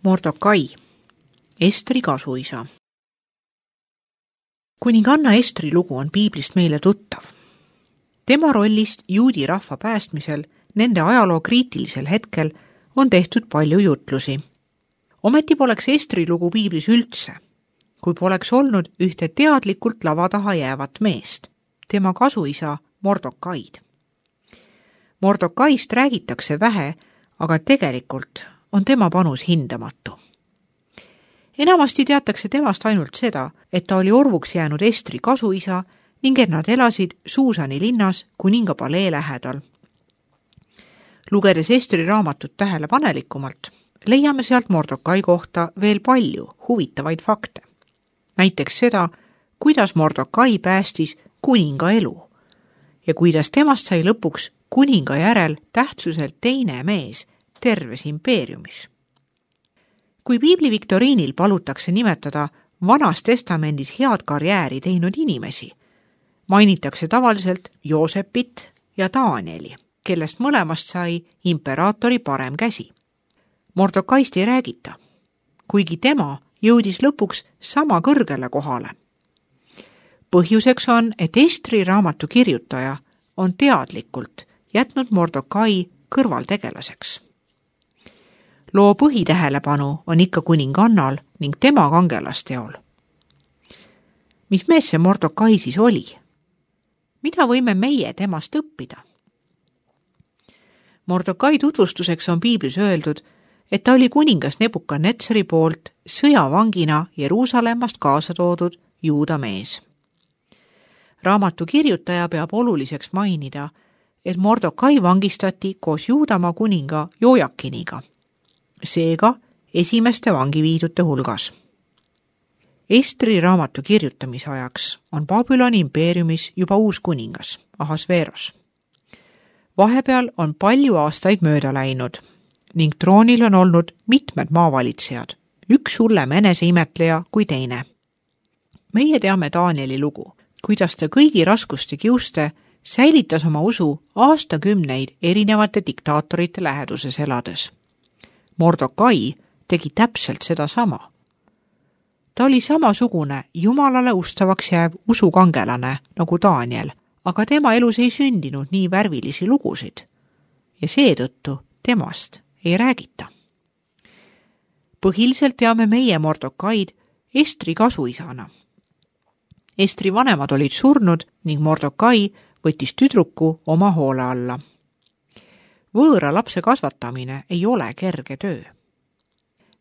Mordokai, Estri kasuisa. Kuninganna Estri lugu on piiblist meile tuttav. Tema rollist juudi rahva päästmisel nende ajaloo kriitilisel hetkel on tehtud palju jutlusi. Ometi poleks Estri lugu piiblis üldse, kui poleks olnud ühte teadlikult lava taha jäävat meest, tema kasuisa Mordokaid. Mordokaist räägitakse vähe, aga tegelikult on tema panus hindamatu. Enamasti teatakse temast ainult seda, et ta oli orvuks jäänud Estri kasuisa ning et nad elasid Suusani linnas kuninga palee lähedal. Lugedes Estri raamatut tähelepanelikumalt, leiame sealt Mordokai kohta veel palju huvitavaid fakte. Näiteks seda, kuidas Mordokai päästis kuninga elu ja kuidas temast sai lõpuks kuninga järel tähtsuselt teine mees terves impeeriumis. Kui piibli viktoriinil palutakse nimetada Vanas testamendis head karjääri teinud inimesi, mainitakse tavaliselt Joosepit ja Danieli, kellest mõlemast sai imperaatori parem käsi. Mordokaist ei räägita, kuigi tema jõudis lõpuks sama kõrgele kohale. Põhjuseks on, et Estri raamatu kirjutaja on teadlikult jätnud Mordokai kõrvaltegelaseks. Loo põhitähelepanu on ikka kuningannal ning tema kangelasteol. Mis mees see Mordokai siis oli? Mida võime meie temast õppida? Mordokai tutvustuseks on piiblis öeldud, et ta oli kuningas Nebukadnetsari poolt sõjavangina Jeruusalemmast kaasa toodud juuda mees. Raamatu kirjutaja peab oluliseks mainida, et Mordokai vangistati koos Juudamaa kuninga Jojakiniga, seega esimeste vangiviidute hulgas. Estri raamatu kirjutamise ajaks on Babyloni impeeriumis juba uus kuningas, Ahasveros. Vahepeal on palju aastaid mööda läinud ning troonil on olnud mitmed maavalitsejad, üks hullem eneseimetleja kui teine. Meie teame Danieli lugu, kuidas ta kõigi raskuste kiuste säilitas oma usu aastakümneid erinevate diktaatorite läheduses elades. Mordokai tegi täpselt seda sama. Ta oli samasugune jumalale ustavaks jääv usukangelane nagu Daniel, aga tema elus ei sündinud nii värvilisi lugusid ja seetõttu temast ei räägita. Põhiliselt teame meie Mordokaid Estri kasuisana. Estri vanemad olid surnud ning Mordokai võttis tüdruku oma hoole alla. Võõra lapse kasvatamine ei ole kerge töö.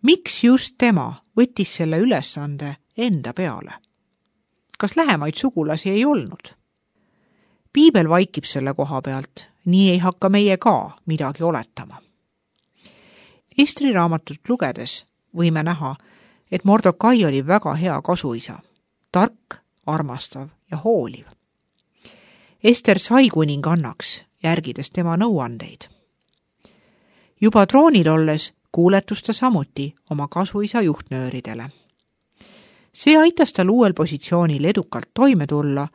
Miks just tema võttis selle ülesande enda peale? Kas lähemaid sugulasi ei olnud? Piibel vaikib selle koha pealt, nii ei hakka meie ka midagi oletama. Estri raamatut lugedes võime näha, et Mordokai oli väga hea kasuisa, tark, armastav ja hooliv. Ester sai kuningannaks, järgides tema nõuandeid. Juba troonil olles kuuletus ta samuti oma kasuisa juhtnööridele. See aitas tal uuel positsioonil edukalt toime tulla,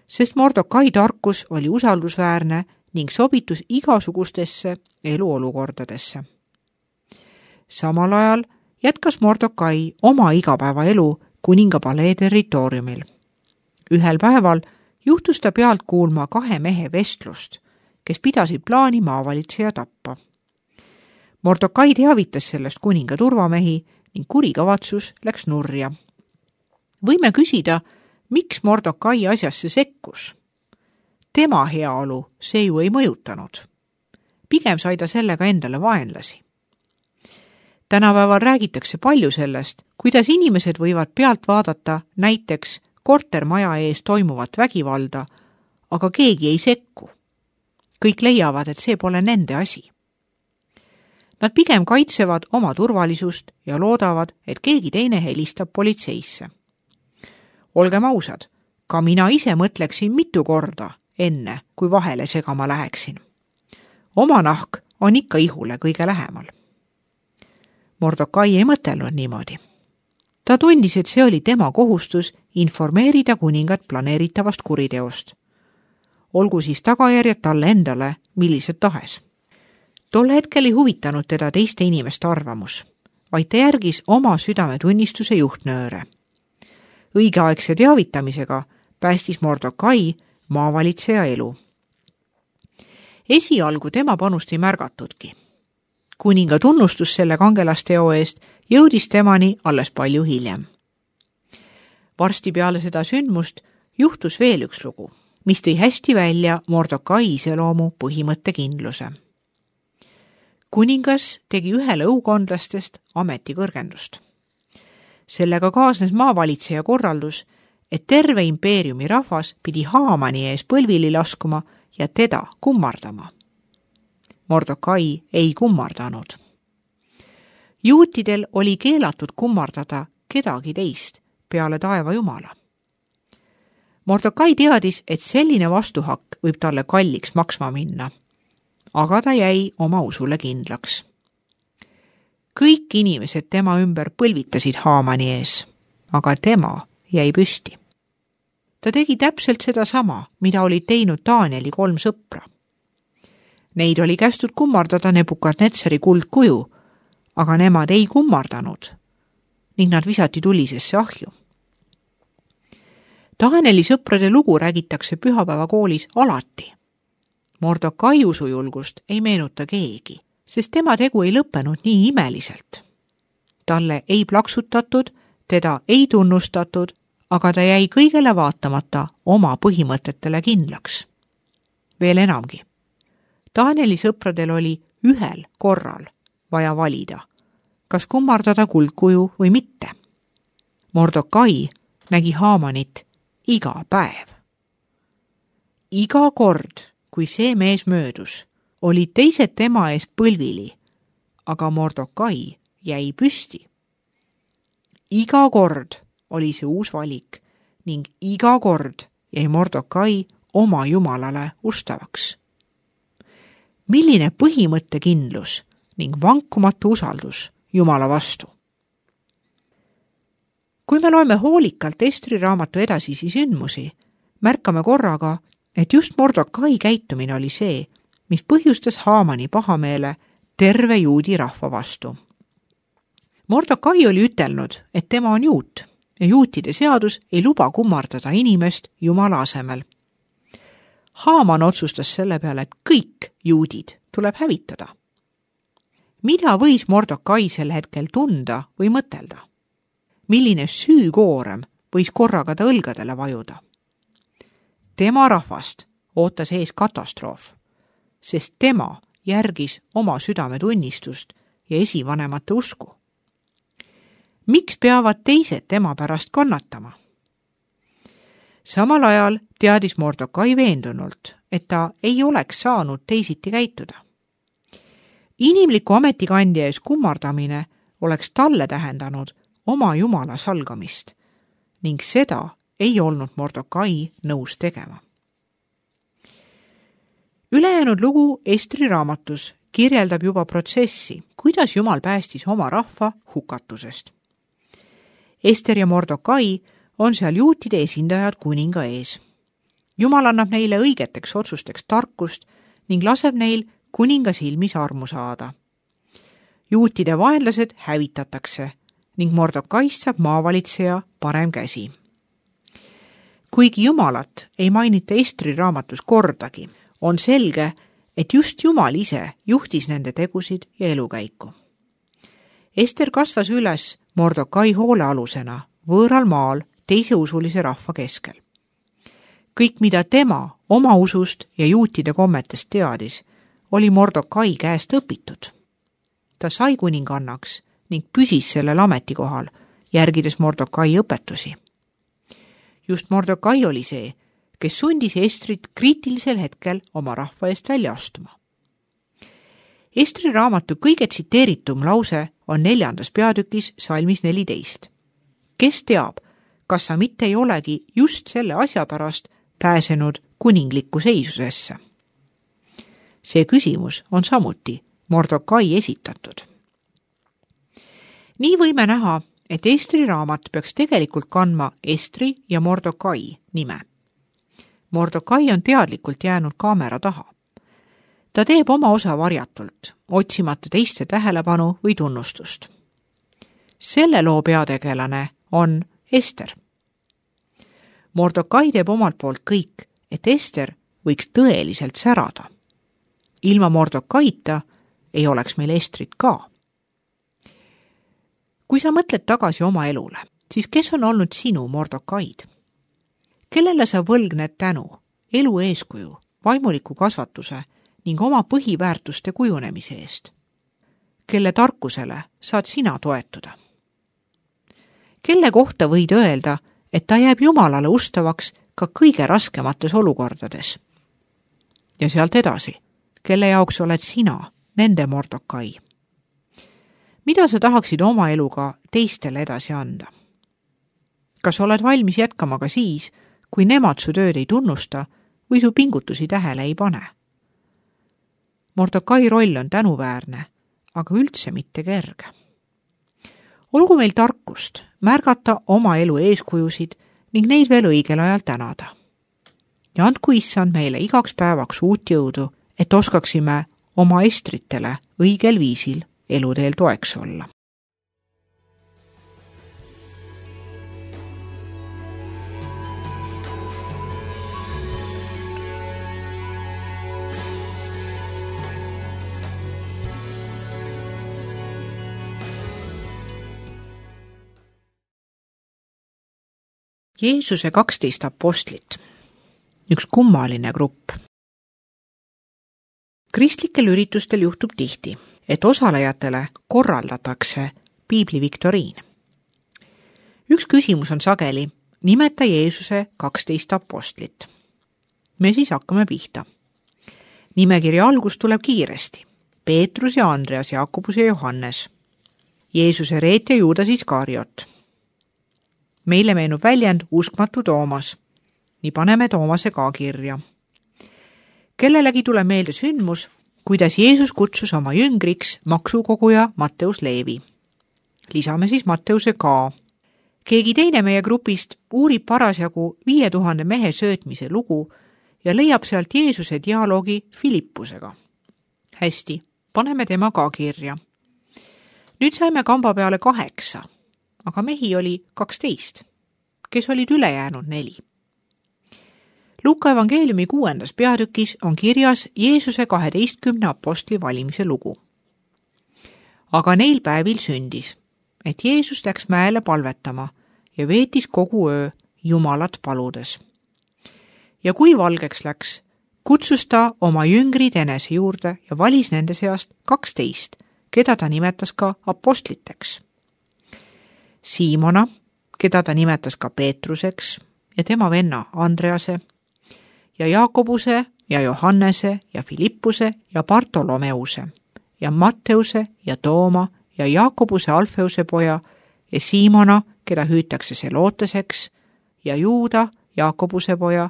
sest Mordokai tarkus oli usaldusväärne ning sobitus igasugustesse eluolukordadesse. Samal ajal jätkas Mordokai oma igapäevaelu kuninga palee territooriumil. Ühel päeval juhtus ta pealt kuulma 2 mehe vestlust, kes pidasid plaani maavalitseja tappa. Mordokai teavitas sellest kuninga turvamehi ning kurikavatsus läks nurja. Võime küsida, miks Mordokai asjasse sekkus? Tema heaolu see ju ei mõjutanud. Pigem sai ta sellega endale vaenlasi. Tänapäeval räägitakse palju sellest, kuidas inimesed võivad pealt vaadata näiteks kortermaja ees toimuvat vägivalda, aga keegi ei sekku. Kõik leiavad, et see pole nende asi. Nad pigem kaitsevad oma turvalisust ja loodavad, et keegi teine helistab politseisse. Olgem ausad, ka mina ise mõtleksin mitu korda enne, kui vahele segama läheksin. Oma nahk on ikka ihule kõige lähemal. Mordokai ei mõtelnud niimoodi. Ta tundis, et see oli tema kohustus informeerida kuningat planeeritavast kuriteost. Olgu siis tagajärjed talle endale, millised tahes. Tol hetkel ei huvitanud teda teiste inimeste arvamus, vaid ta järgis oma südametunnistuse juhtnööre. Õigeaegse teavitamisega päästis Mordokai maavalitseja elu. Esialgu tema panust ei märgatudki. Kuninga tunnustus selle kangelasteo eest jõudis temani alles palju hiljem. Varsti peale seda sündmust juhtus veel üks lugu, mis tõi hästi välja Mordokai iseloomu põhimõttekindluse. Kuningas tegi ühele õukondlastest ametikõrgendust. Sellega kaasnes maavalitseja korraldus, et terve impeeriumi rahvas pidi Haamani ees põlvili laskuma ja teda kummardama. Mordokai ei kummardanud. Juutidel oli keelatud kummardada kedagi teist peale taeva jumala. Mordokai teadis, et selline vastuhakk võib talle kalliks maksma minna, aga ta jäi oma usule kindlaks. Kõik inimesed tema ümber põlvitasid Haamani ees, aga tema jäi püsti. Ta tegi täpselt seda sama, mida olid teinud Danieli 3 sõpra. Neid oli kästud kummardada Nebukadnetsari kuldkuju, aga nemad ei kummardanud ning nad visati tulisesse ahju. Danieli sõprade lugu räägitakse pühapäevakoolis alati. Mordokai usujulgust ei meenuta keegi, sest tema tegu ei lõppenud nii imeliselt. Talle ei plaksutatud, teda ei tunnustatud, aga ta jäi kõigele vaatamata oma põhimõtetele kindlaks. Veel enamgi. Danieli sõpradel oli ühel korral vaja valida, kas kummardada kuldkuju või mitte. Mordokai nägi Haamanit iga päev. Iga kord, kui see mees möödus, olid teised tema ees põlvili, aga Mordokai jäi püsti. Iga kord oli see uus valik ning iga kord jäi Mordokai oma jumalale ustavaks. Milline põhimõttekindlus ning vankumatu usaldus Jumala vastu. Kui me loeme hoolikalt Estri raamatu edasisi sündmusi, märkame korraga, et just Mordokai käitumine oli see, mis põhjustas Haamani pahameele terve juudi rahva vastu. Mordokai oli ütelnud, et tema on juut ja juutide seadus ei luba kummardada inimest Jumala asemel. Haaman otsustas selle peale, et kõik juudid tuleb hävitada. Mida võis Mordokai sel hetkel tunda või mõtelda? Milline süükoorem võis korraga ta õlgadele vajuda? Tema rahvast ootas ees katastroof, sest tema järgis oma südametunnistust ja esivanemate usku. Miks peavad teised tema pärast kannatama? Samal ajal teadis Mordokai veendunult, et ta ei oleks saanud teisiti käituda. Inimliku ametikandja ees kummardamine oleks talle tähendanud oma jumala salgamist ning seda ei olnud Mordokai nõus tegema. Ülejäänud lugu Estri raamatus kirjeldab juba protsessi, kuidas Jumal päästis oma rahva hukatusest. Ester ja Mordokai on seal juutide esindajad kuninga ees. Jumal annab neile õigeteks otsusteks tarkust ning laseb neil kuninga silmis armu saada. Juutide vaenlased hävitatakse ning Mordokaist saab maavalitseja parem käsi. Kuigi Jumalat ei mainita Estri raamatus kordagi, on selge, et just Jumal ise juhtis nende tegusid ja elukäiku. Ester kasvas üles Mordokai hoolealusena võõral maal teise usulise rahva keskel. Kõik, mida tema oma usust ja juutide kommetest teadis, oli Mordokai käest õpitud. Ta sai kuningannaks ning püsis sellel ametikohal, järgides Mordokai õpetusi. Just Mordokai oli see, kes sundis Estrit kriitilisel hetkel oma rahva eest välja astuma. Estri raamatu kõige tsiteeritum lause on 4. peatükis salmis 14. Kes teab, kas sa mitte ei olegi just selle asja pärast pääsenud kuninglikku seisusesse? See küsimus on samuti Mordokai esitatud. Nii võime näha, et Estri raamat peaks tegelikult kandma Estri ja Mordokai nime. Mordokai on teadlikult jäänud kaamera taha. Ta teeb oma osa varjatult, otsimata teiste tähelepanu või tunnustust. Selle loo peategelane on Ester. Mordokai teeb omalt poolt kõik, et Ester võiks tõeliselt särada. Ilma Mordokaita ei oleks meil Estrit ka. Kui sa mõtled tagasi oma elule, siis kes on olnud sinu Mordokaid? Kellele sa võlgned tänu, elu eeskuju, vaimuliku kasvatuse ning oma põhiväärtuste kujunemise eest? Kelle tarkusele saad sina toetuda? Kelle kohta võid öelda, et ta jääb Jumalale ustavaks ka kõige raskemates olukordades? Ja sealt edasi, kelle jaoks oled sina nende Mordokai? Mida sa tahaksid oma eluga teistele edasi anda? Kas oled valmis jätkama ka siis, kui nemad su tööd ei tunnusta või su pingutusi tähele ei pane? Mordokai roll on tänuväärne, aga üldse mitte kerge. Olgu meil tarkust märgata oma elu eeskujusid ning neid veel õigel ajal tänada. Ja andku Issand meile igaks päevaks uut jõudu, et oskaksime oma Estritele õigel viisil eluteel toeks olla. Jeesuse 12 apostlit. Üks kummaline grupp. Kristlikel üritustel juhtub tihti, et osalejatele korraldatakse piibli viktoriin. Üks küsimus on sageli, nimeta Jeesuse 12 apostlit. Me siis hakkame pihta. Nimekirja algus tuleb kiiresti. Peetrus ja Andreas, Jakobus ja Johannes. Jeesuse reetja Juudas Iskariot. Meile meenub väljend uskmatu Toomas. Nii paneme Toomase ka kirja. Kellelegi tuleb meelde sündmus, kuidas Jeesus kutsus oma jüngriks maksukoguja Matteus Leevi. Lisame siis Matteuse ka. Keegi teine meie grupist uurib parasjagu 5000 mehe söötmise lugu ja leiab sealt Jeesuse dialoogi Filippusega. Hästi, paneme tema ka kirja. Nüüd saime kamba peale 8, aga mehi oli 12, kes olid ülejäänud 4. Luuka evangeeliumi 6. peatükis on kirjas Jeesuse 12 apostli valimise lugu. Aga neil päevil sündis, et Jeesus läks mäele palvetama ja veetis kogu öö Jumalat paludes. Ja kui valgeks läks, kutsus ta oma jüngrid enese juurde ja valis nende seast 12, keda ta nimetas ka apostliteks. Siimona, keda ta nimetas ka Peetruseks ja tema venna Andrease, ja Jaakobuse ja Johannese ja Filippuse ja Bartolomeuse ja Matteuse ja Tooma ja Jaakobuse Alfeuse poja ja Siimona, keda hüütakse Seloteseks, ja Juuda, Jaakobuse poja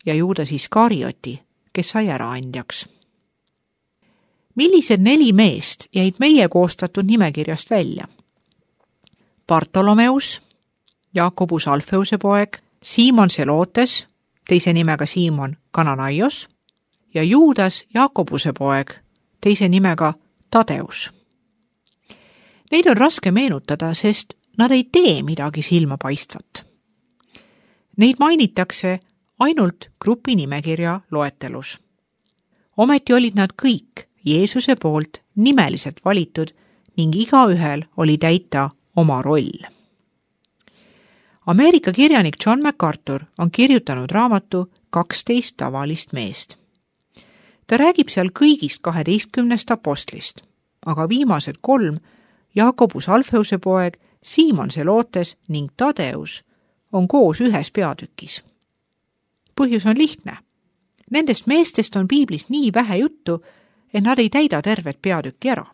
ja Juudas Iskarioti, kes sai äraandjaks. Millised 4 meest jäid meie koostatud nimekirjast välja? Bartolomeus, Jaakobus Alfeuse poeg, Siimon Selotes, teise nimega Siimon Kananaios, ja Juudas Jaakobuse poeg, teise nimega Tadeus. Neid on raske meenutada, sest nad ei tee midagi silmapaistvat. Neid mainitakse ainult grupi nimekirja loetelus. Ometi olid nad kõik Jeesuse poolt nimeliselt valitud ning igaühel oli täita oma roll. Ameerika kirjanik John MacArthur on kirjutanud raamatu 12 tavalist meest. Ta räägib seal kõigist 12 apostlist, aga viimased 3, Jaakobus Alfeuse poeg, Siimon Selotes ning Tadeus, on koos ühes peatükis. Põhjus on lihtne. Nendest meestest on piiblis nii vähe juttu, et nad ei täida tervet peatükki ära.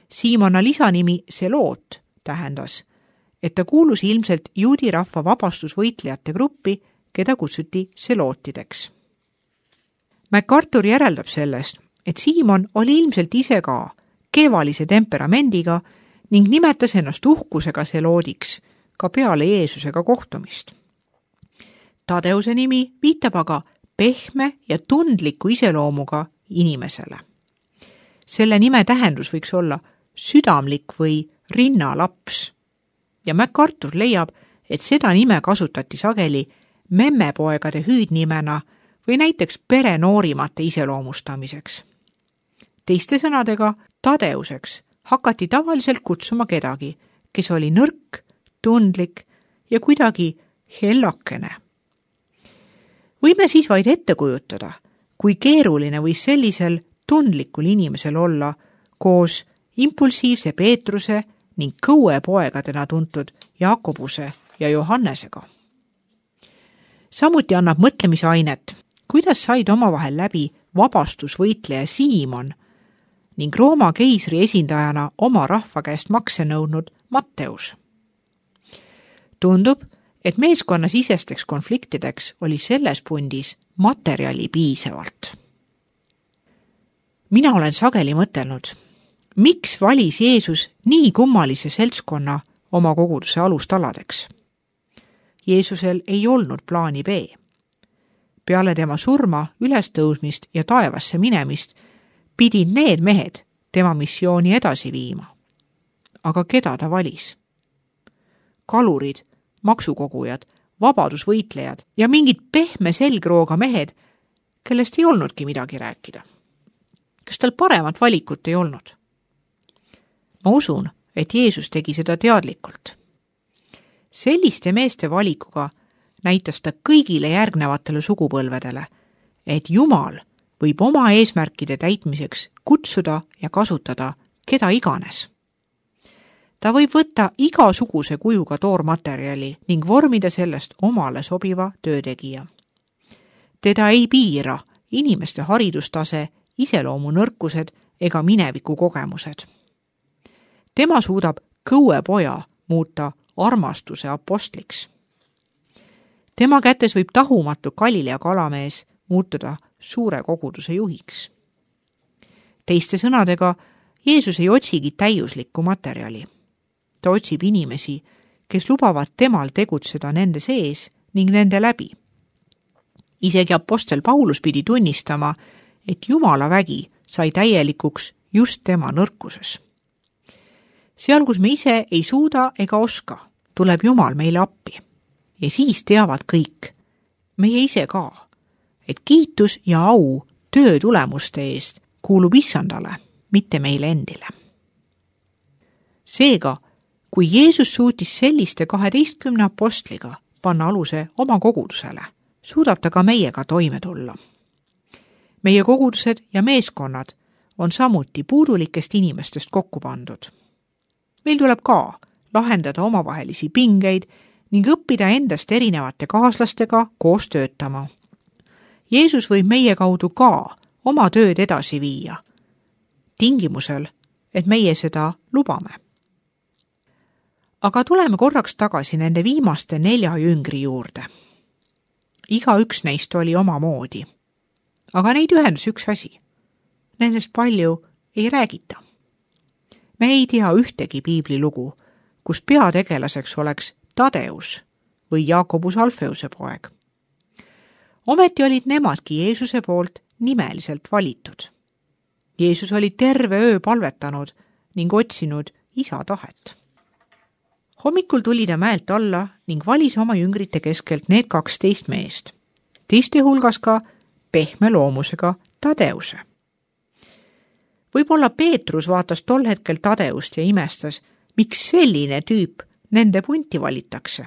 Siimona lisanimi Selot tähendas, et ta kuulus ilmselt juudi rahva vabastusvõitlejate gruppi, keda kutsuti selootideks. MacArthur järeldab sellest, et Siimon oli ilmselt ise ka kevalise temperamendiga ning nimetas ennast uhkusega seloodiks ka peale Jeesusega kohtumist. Tadeuse nimi viitab aga pehme ja tundliku iseloomuga inimesele. Selle nime tähendus võiks olla südamlik või rinnalaps ja MacArthur leiab, et seda nime kasutati sageli memmepoegade hüüdnimena või näiteks pere noorimate iseloomustamiseks. Teiste sõnadega, Tadeuseks hakati tavaliselt kutsuma kedagi, kes oli nõrk, tundlik ja kuidagi hellakene. Võime siis vaid ette kujutada, kui keeruline võis sellisel tundlikul inimesel olla koos impulsiivse Peetruse ning kõuepoegadena tuntud Jaakobuse ja Johannesega. Samuti annab mõtlemisainet, kuidas said omavahel läbi vabastusvõitleja Siimon ning Rooma keisri esindajana oma rahva käest makse nõudnud Matteus. Tundub, et meeskonnasisesteks konfliktideks oli selles pundis materjali piisavalt. Mina olen sageli mõtelnud, miks valis Jeesus nii kummalise seltskonna oma koguduse alustaladeks? Jeesusel ei olnud plaani B. Peale tema surma, ülestõusmist ja taevasse minemist pidid need mehed tema missiooni edasi viima. Aga keda ta valis? Kalurid, maksukogujad, vabadusvõitlejad ja mingid pehme selgrooga mehed, kellest ei olnudki midagi rääkida. Kas tal paremat valikut ei olnud? Ma usun, et Jeesus tegi seda teadlikult. Selliste meeste valikuga näitas ta kõigile järgnevatele sugupõlvedele, et Jumal võib oma eesmärkide täitmiseks kutsuda ja kasutada keda iganes. Ta võib võtta igasuguse kujuga toormaterjali ning vormida sellest omale sobiva töötegija. Teda ei piira inimeste haridustase, iseloomunõrkused ega mineviku kogemused. Tema suudab kõuepoja muuta armastuse apostliks. Tema kätes võib tahumatu Galilea kalamees muutuda suure koguduse juhiks. Teiste sõnadega, Jeesus ei otsigi täiuslikku materjali. Ta otsib inimesi, kes lubavad temal tegutseda nende sees ning nende läbi. Isegi apostel Paulus pidi tunnistama, et Jumala vägi sai täielikuks just tema nõrkuses. Seal, kus me ise ei suuda ega oska, tuleb Jumal meile appi. Ja siis teavad kõik, meie ise ka, et kiitus ja au töö tulemuste eest kuulub Issandale, mitte meile endile. Seega, kui Jeesus suutis selliste 12 apostliga panna aluse oma kogudusele, suudab ta ka meiega toime tulla. Meie kogudused ja meeskonnad on samuti puudulikest inimestest kokku pandud. Meil tuleb ka lahendada omavahelisi pingeid ning õppida endast erinevate kaaslastega koos töötama. Jeesus võib meie kaudu ka oma tööd edasi viia, tingimusel, et meie seda lubame. Aga tuleme korraks tagasi nende viimaste 4 jüngri juurde. Igaüks neist oli oma moodi. Aga neid ühendus üks asi. Nendest palju ei räägita. Me ei tea ühtegi piiblilugu, kus peategelaseks oleks Tadeus või Jaakobus Alfeuse poeg. Ometi olid nemadki Jeesuse poolt nimeliselt valitud. Jeesus oli terve öö palvetanud ning otsinud isa tahet. Hommikul tuli ta mäelt alla ning valis oma jüngrite keskelt need 12 meest. Teiste hulgas ka pehme loomusega Tadeuse. Võib-olla Peetrus vaatas tol hetkel Tadeust ja imestas, miks selline tüüp nende punti valitakse.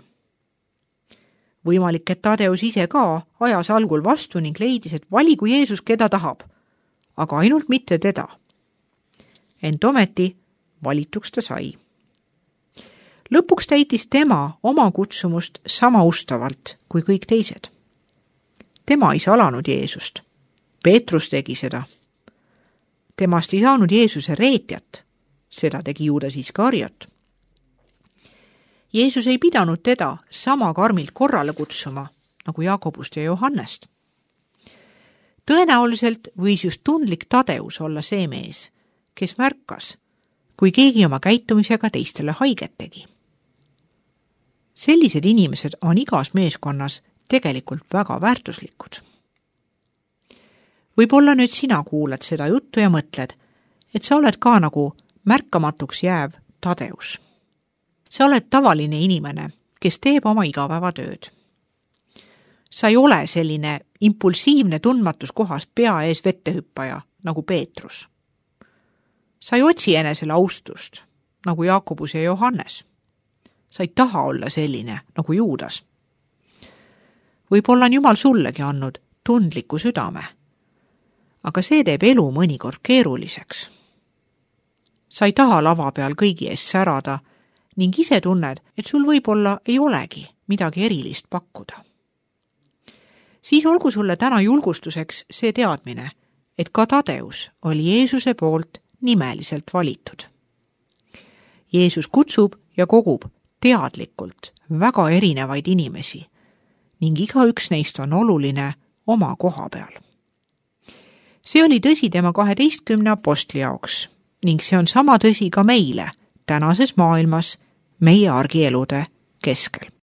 Võimalik, et Tadeus ise ka ajas algul vastu ning leidis, et valigu Jeesus keda tahab, aga ainult mitte teda. Ent ometi valituks ta sai. Lõpuks täitis tema oma kutsumust sama ustavalt kui kõik teised. Tema ei salanud Jeesust. Peetrus tegi seda. Temast ei saanud Jeesuse reetjat. Seda tegi Juudas Iskariot. Jeesus ei pidanud teda sama karmilt korrale kutsuma, nagu Jaakobust ja Johannest. Tõenäoliselt võis just tundlik Tadeus olla see mees, kes märkas, kui keegi oma käitumisega teistele haiget tegi. Sellised inimesed on igas meeskonnas tegelikult väga väärtuslikud. Võib-olla nüüd sina kuulad seda juttu ja mõtled, et sa oled ka nagu märkamatuks jääv Tadeus. sa oled tavaline inimene, kes teeb oma igapäevatööd. sa ei ole selline impulsiivne tundmatus kohas pea ees vettehüppaja nagu Peetrus. sa ei otsi enesele austust nagu Jaakobus ja Johannes. sa ei taha olla selline nagu Juudas. Võib-olla on Jumal sullegi andnud tundliku südame, aga see teeb elu mõnikord keeruliseks. sa ei taha lava peal kõigi ees särada ning ise tunned, et sul võib-olla ei olegi midagi erilist pakkuda. Siis olgu sulle täna julgustuseks see teadmine, et ka Tadeus oli Jeesuse poolt nimeliselt valitud. Jeesus kutsub ja kogub teadlikult väga erinevaid inimesi ning igaüks neist on oluline oma koha peal. See oli tõsi tema 12 apostli jaoks ning see on sama tõsi ka meile tänases maailmas meie argielude keskel.